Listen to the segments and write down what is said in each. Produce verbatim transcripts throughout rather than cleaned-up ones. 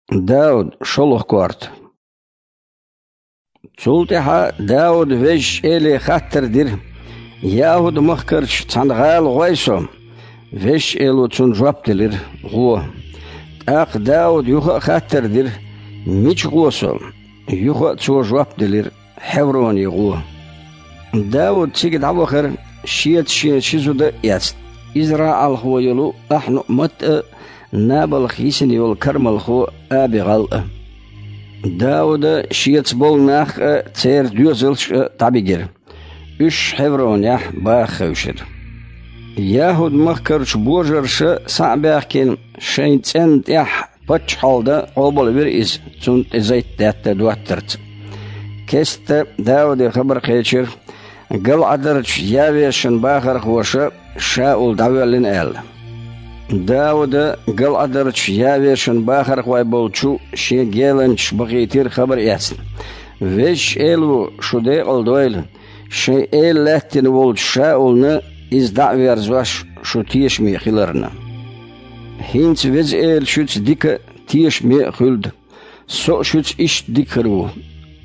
Дауд, шолгӀа корта. Цул тӀаьхьа Дауда Везачу Эле хаттар дира: «ЯхӀуд-махкарчу цхьана гӀала гӀой со?» Везачу Эло цунна жоп делира: «ГӀо». ТӀаккха Дауда юха а хаттар дира: «Мича гӀо со?» Юха а цо жоп делира: «Хьевроне гӀо». Дауд цига дӀавахара, шеца шен ши зуда а эцна: израӀалхо йолу Ахьнуъмат а, Набалх йисина йолу кармалхо Аби-ГӀал а. Дауда шеца болу нах а, церан доьзалш а дӀабигира. Уьш Хьевронехь баха хевшира. ЯхӀуд-махкарчу божарша схьа а баьхкина, шайн цӀенна тӀехь паччахьалла дан къобалвира иза, цунна тӀе зайтдаьтта доттарца. Кеста Дауде хабар кхечира, ГалӀадарчу Явешан бахархоша Шаул дӀавоьллина аьлла. Дауда ГалӀадарчу Явешан бахархой болчу шен геланчаш бахийтира хабар эцна: «Везачу Эло шу декъала дойла, шайн эла лаьттина волчу Шаулна иза дӀа а верзош, шу тешаме хиларна. ХӀинца Веза Эла шуьца дика а, тешаме а хуьлда. Со а шуьца иштта дика хир ву,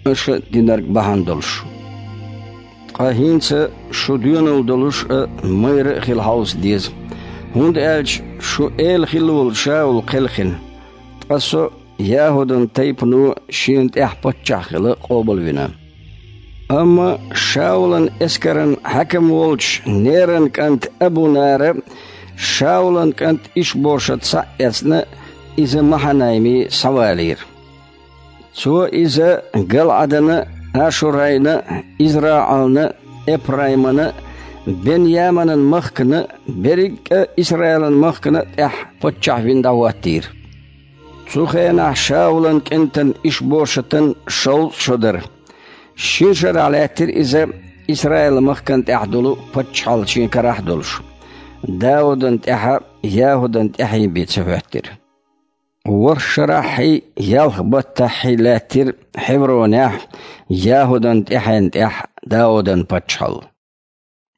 аша динарг бахьана долуш. Ткъа хӀинца шу доьналла долуш а, майра а хила хьовса деза, хӀунда аьлча шу эла хилла волу Шаул кхелхина, ткъа со ЯхӀудан тайпано шена тӀехь паччахь хила къобалвина». Амма Шаулан эскаран хьаькам волчу Неран кӀанта Абу-Нара Шаулан кӀант Иш-Бошат схьа а эцна, иза Махьанайме схьавалийра. Цо иза ГалӀадана, Ашурайна, ИзраӀална, Эпраймана, Бен-Яманан махкана, берриг а Исраилан махкана тӀехь паччахь вина дӀахӀоттийра. Цу хенахь Шаулан кӀентан Иш-Бошатан шовзткъа шо дара. Шина шарахь лаьттира иза Исраил-махкана тӀехь долу паччахьалла шен карахь а долуш, Даудан тӀаьхьа ЯхӀудан тӀаьхье бен ца хӀоьттира. ВорхӀ шарахьхьий, ялх баттахьхьий лаьттира Хьевронехь ЯхӀудан тӀаьхьенна тӀехь Даудан паччахьалла.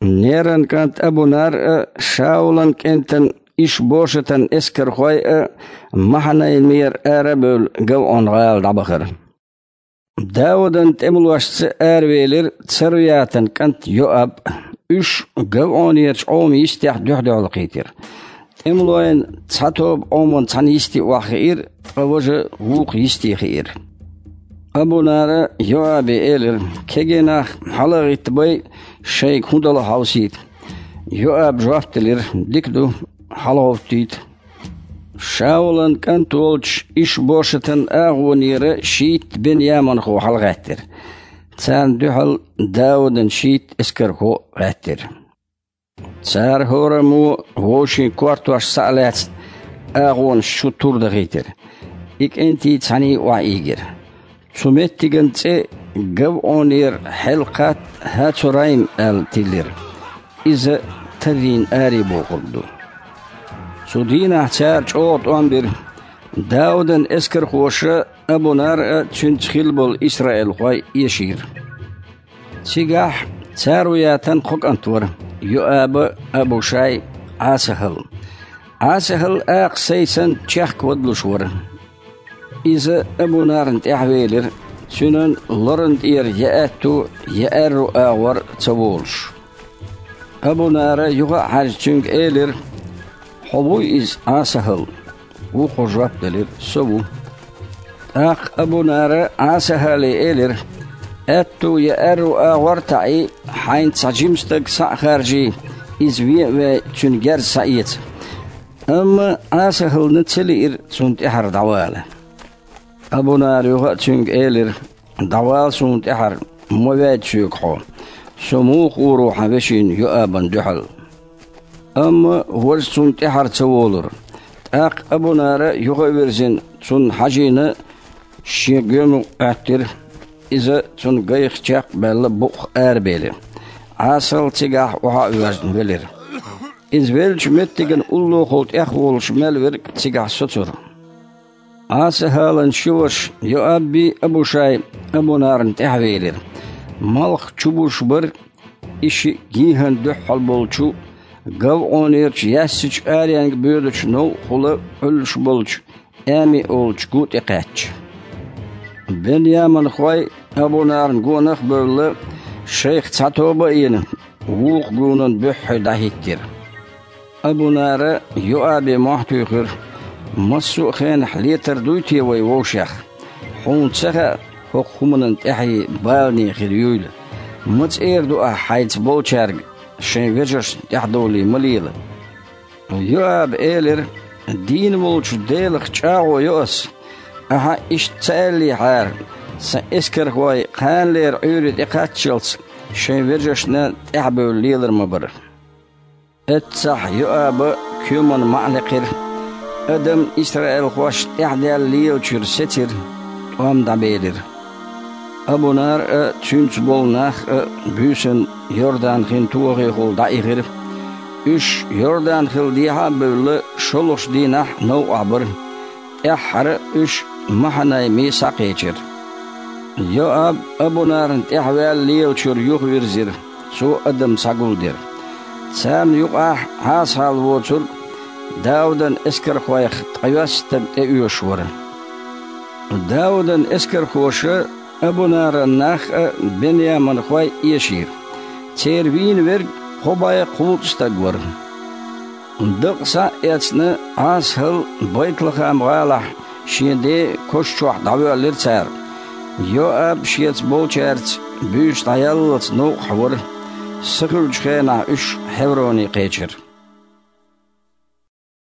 Неран кӀант Абу-Нар а, Шаулан кӀентан Иш-Бошатан эскархой а Махьанаймера ара а бевлла, ГавӀон-гӀала дӀабахара. Даудан тӀемалошца аравелира Царуятан кӀант Йоаб а. Уьш ГавӀонерчу Ӏоман йистехь дуьхь-дуьхьал кхийтира. ТӀемалойн цхьа тоба Ӏоман цхьана йисте охьахиира, ткъа важа вукху йисте хиира. Абу-Нара Йоабе элира: «Кегий нах хьала а гӀиттабай, шайга хӀун дало хьовсийта». Йоаба жоп делира: «Дика ду, хьалагӀовттийта». Шаулан кӀант волчу Иш-Бошатан агӀонера шийтта бен-яманхо хьалагӀаьттира. Царна дуьхьал Даудан шийтта эскархо а гӀаьттира. Цара хӀораммо вовшийн кортош схьа а лаьцна, агӀонаш чу тур дахийтира. И кӀентий цхьаьний охьаийгира. Цу меттиган цӀе ГавӀонера Хьелкхат-ХӀацурайм аьлла тиллира. Иза таррийна аре бохург ду. Цу дийнахь цара чӀогӀа тӀом бира. Даудан эскархоша Абу-Нар а, цуьнца хилла болу исраилхой эшийра. Цигахь Царуятан кхо кӀант вара: Йоаба, Абушай, Ӏасахьал. Ӏасахьал акха сайсан чехка вадалуш вара. Иза Абу-Нарна тӀаьхьавелира, цуьнан лоран тӀера я аьтту, я аьрру агӀор ца волуш. Абу-Нара юха а хьаьжна цуьнга элира: «Хьо вуй иза, Ӏасахьал?» Вукхо жоп делира: «Со ву». ТӀаккха Абу-Нара Ӏасахьале элира: «Аьтту я аьрру агӀор а таӀий, хьайна цхьа жима стаг схьа а харжий, иза вен а вей, цуьнан герз схьаэца». Амма Ӏасахьална ца лиира цунна тӀаьхьара дӀавала. Абу-Нара юха а цуьнга элира: «ДӀавала суна тӀаьхьара, ма ваьйда соьга хьо. Со муха гӀур ву хьан вешина Йоабана дуьхьал?» Амма важа цунна тӀаьхьара ца волура. ТӀаккха Абу-Нара юха а вирзина, цунна хьажийна, шен гоьмукъ Ӏоьттира. Иза цунна гайх чекх а баьлла, букъах арабели, Ӏасахьал цигахь охьа а воьжна велира. Иза веллачу меттиган уллохула тӀехволуш мел верг цигахь соцура. Ӏасахьалан ши ваша Йоаббий Абушай Абу-Нарна тӀаьхьавелира. Малх чубузуш бара и шиъ гӀийгӀан дуьххьал болчу, ГавӀонерчу яьссачу аренга боьдучу новкъахула Ӏуьллуш болчу Ами олучу гу тӀекхаьчча. Бен-Яманхой Абунаран гонах а бевлла, шайх цхьа тоба а йина, вукху гонан буьххье дӀахӀиттира. Абунара Йоабе мохь туьйхира: «Массо а хенахь летар дуй те вай вовшех? Хьуна ца хаьа хӀокху хӀуманан тӀаьхье балане хир юйла? Ма цӀера ду ахь хьайца болчаьрга, шайн вежаршна тӀаьхьадовлий ма лела». Йоаба элира: «Дийна волчу Делах чӀагӀо йо ас. Ахьа иштта ца аьллехьара, сан эскархой кханалера Ӏуьйре тӀекхаччалц шайн вежаршна тӀаьхьабевлла лелар ма бара». Эццахь Йоаба коьман маӀа лекхира, адам исраилхошна тӀаьхьадаьлла лелачуьра сецира, тӀом дӀабелира. Абунар а, цуьнца болу нах а буьйсанна Йордан-хин тохехула дӀаихира. Уьш Йордан-хил дехьа а бевлла, шолгӀачу дийнахь новкъахь бара. ТӀаьххьара уьш Махьанайме схьакхечира. Йоаб Абунарна тӀаьхьаваьлла лелачуьра юхавирзира, цо адам схьагулдира. Царна юкъахь Ӏаса-хьалла воцург Даудан эскархойх ткъайоьсна стаг тӀеоьшуш вара. Даудан эскархоша, Абунаран нах а, бен-яманхой а эшийра. Церан вийна верг кхо бӀе кхузткъа стаг вара. Дакъа схьа а эцна, Ӏаса-хьалла Байт-Лахам-гӀалахь шен ден коша чохь дӀавоьллира цара. Йоаб шеца болчаьрца буьйса дӀаяллалц новкъахь вара. Са хуьлучу хенахь уьш Хьевроне кхечира.